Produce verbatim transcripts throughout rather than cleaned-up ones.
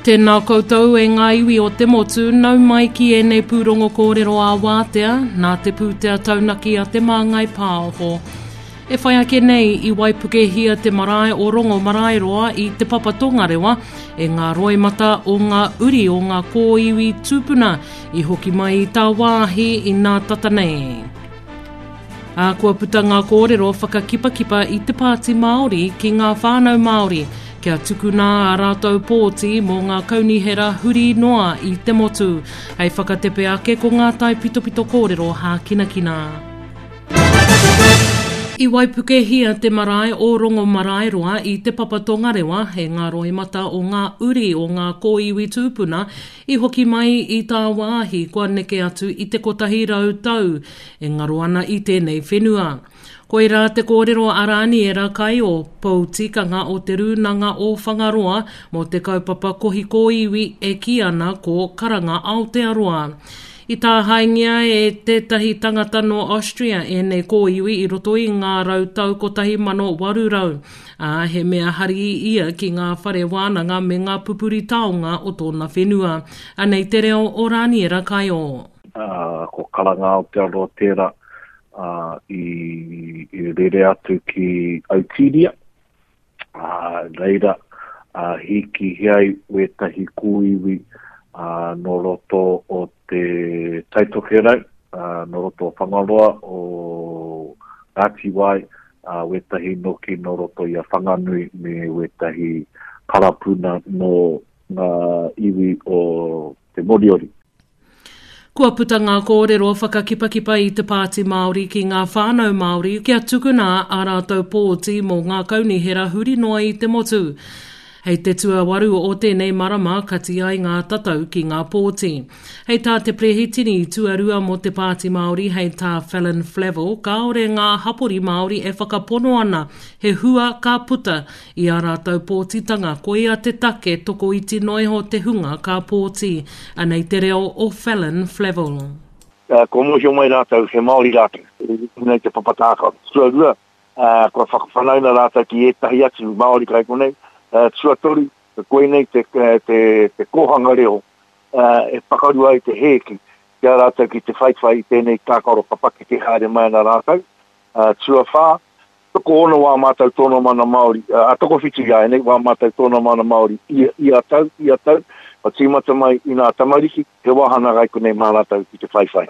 Tēnā koutou e ngā iwi o te motu, nau mai ki ēnei pūrongo kōrero ā-wātea, nā te pūtea taunaki a Te Māngai Pāho. E whai ake nei i waipukehia te marae o Rongomaraeroa i Te Papa Tongarewa e ngā roimata o ngā uri o ngā kōiwi tūpuna i hoki mai i tāwāhi i nā tata nei. Ā, kua puta ngā kōrero whakakipakipa i te Pāti Māori ki ngā whānau Māori kia tukuna ā rātou pōti mō ngā kaunihera huri noa i te motu. Hei whakatepe ake ko ngā taipitopito kōrero hākinakina. I waipukehia te marae o Rongomaraeroa i Te Papa Tongarewa e ngā roimata o ngā uri o ngā kōiwi tūpuna i hoki mai i tāwāhi kua neke atu i te kotahi rau tau e ngaro ana i tēnei whenua. Koirā te kōrero a Rāniera Kaio, pou tikanga o Te Rūnanga o Whangaroa mō te kaupapa kohi kōiwi e kī ana ko Karanga Aotearoa. I tāhaengia e tētahi tangata nō Austria ēnei kōiwi i roto i ngā rau tau kotahi mano waru rau, ā, he mea hari ia ki ngā whare wānanga me ngā pupuri taonga o tōna whenua. Anei te reo o Rāniera Kaio. Ā, ko Karanga Aotearoa tērā, ā, i, i rere atu ki Autiria, ā, reira, ā, hīkihia ai wētahi kōiwi, ā, nō roto o te Tai Tokerau, ā, nō roto o Whangaroa, o Ngāti Wai, ā, wētahi noki nō roto i a Whanganui me wētahi karapuna nō ngā iwi o Te Moriori. Kua puta ngā kōrero whakakipakipa i te Pāti Māori ki ngā whānau Māori kia tukuna ā rātou pōti mō ngā kaunihera huri noa i te motu. Hei te tuawaru o tēnei marama kati ai ngā tatau ki ngā pōti. Hei tā te perehitini tuarua mō te Pāti Māori hei tā Fallon Flavell kāore ngā hapori Māori e whakapono ana he hua ka puta i ā rātou pōtitanga koia te take tokoiti noa iho te hunga ka pōti. Anei te reo o Fallon Flavell. Kua mōhio mai rātou he Māori rātou i runga i te papa tākaro. Tuarua, kua whakawhanaunga rātou ki ētahi atu Māori kai konei. Tuatoru, koinei te, te, te kōhanga reo e pakaru ai te hēki ki a rātou ki te whaiwhai i tēnei tākaro ka pakeke haere mai ana rātou. Tuawhā, tokoono wā mātou tono mana Māori, a tokowhitu iāianei wā mātou tono mana Māori ia, ia tau, ia tau, ka tīmata mai i ngā tamariki, he wāhanga kai konei mā rātou ki te whaiwhai.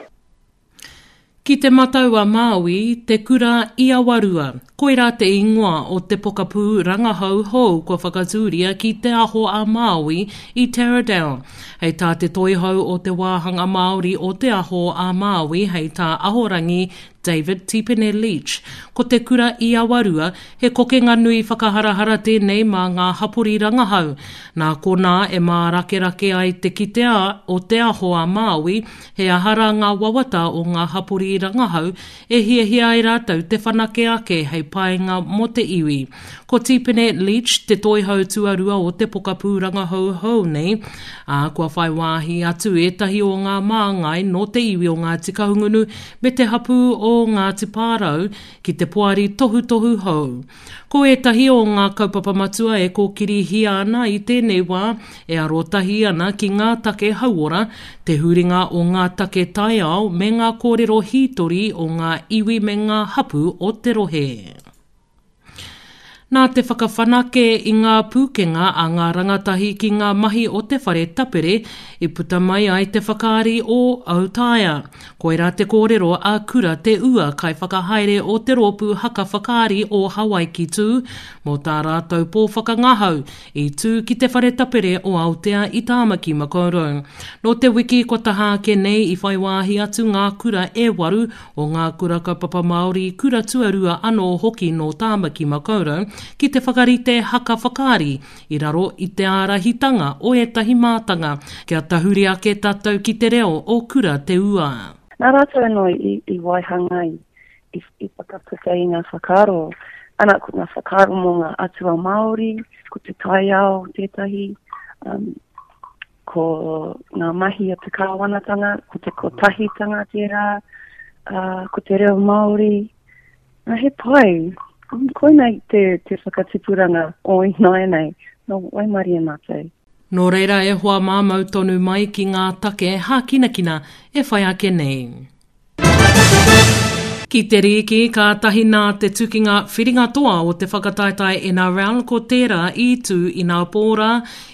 Ki Te Matau-a-Māui, te kura i Awarua. Koirā te ingoa o te pokapū rangahau hou kua whakatūria ki Te Aho a Māui i Taradale. Hei tā te toihau o te wāhanga Māori o Te Aho a Māui hei tā Ahorangi David Tipene Leach, ko te kura i Awarua he kokenga nui whakaharahara tēnei mā ngā hapori rangahau. Nā konā e mārakerake ai te kitea o Te Aho a Māui He aha rā ngā wawata o ngā hapori rangahau e hiahia ai rātou te whanake ake hei painga mō te iwi? Ko Tipene Leach te toihau tuarua o te pokapū rangahau hou nei, ā, kua whai wāhi atu ētahi o ngā māngai nō te iwi o Ngāti Kahungunu me te hapū o Ngāti Pārau ki te poari tohutohu hou. Ko ētahi o ngā kaupapa matua e kōkirihia ana i tēnei wā e arotahi ana ki ngā take hauora, te huringa o ngā take taiao me ngā kōrero hītori o ngā iwi me ngā hapū o te rohe. Nā te whakawhanake i ngā pūkenga a ngā rangatahi ki ngā mahi o te whare tapere i puta mai ai te whakaari o Autaia. Koirā te kōrero a Kura Te Ua, kaiwhakahaere o te rōpū haka whakaari o Hawaiki Tū, mō tā rātou pō whakangahau i tū ki te whare tapere o Aotea i Tāmaki Makaurau. Nō te wiki kua taha ake nei i whai wāhi atu ngā kura e waru o ngā kura kaupapa Māori, kura tuarua anō hoki nō Tāmaki Makaurau ki te whakarite haka whakaari i raro i te ārahitanga o ētahi mātanga kia tahuri ake tātou ki te reo o Kura Te Ua. Nā rātou anō i waihanga i i, i whakaputa i ngā whakaaro. Ana, ko ngā whakaaro mō ngā atua Māori, ko te taiao tētahi, um, ko ngā mahi a te kāwanatanga, ko te kotahitanga tērā, uh, ko te reo Māori. Uh, he pai, koinei te, te whakatipuranga o ināianei, nō waimarie mātou. Nō reira e hoa mā mau tonu mai ki ngā take hākinakina e whai ake nei. Ki te rīki, kātahi nā te tukinga whiringa toa o te whakataetae N R L ko tērā i tū inapō rā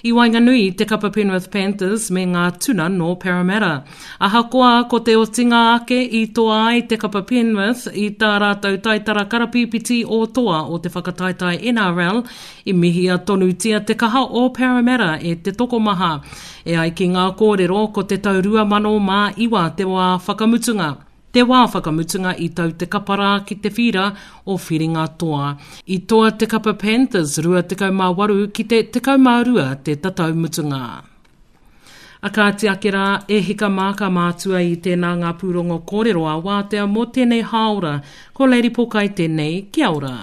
i waenganui i te kapa Penrith Panthers me ngā Tuna nō Parramatta. Ahakoa ko te otinga ake i toa ai te kapa Penrith i tā rātou taitara karapīpiti o toa o te whakataetae N R L, i mihia tonutia te kaha o Parramatta e te tokomaha. E ai ki ngā kōrero ko te tau rua mano mā iwa te wā whakamutunga. Te wā whakamutunga i tau te kapa rā ki te whīra o Whiringa Toa. I toa te kapa Panthers rua tekau mā waru ki te tekau mā rua te tatau mutunga. A kāti ake rā, e hika mā ka mātua i tēnā ngā pūrongo kōrero a wātea mō tēnei hāora. Ko Lady Pokai tēnei, kia ora.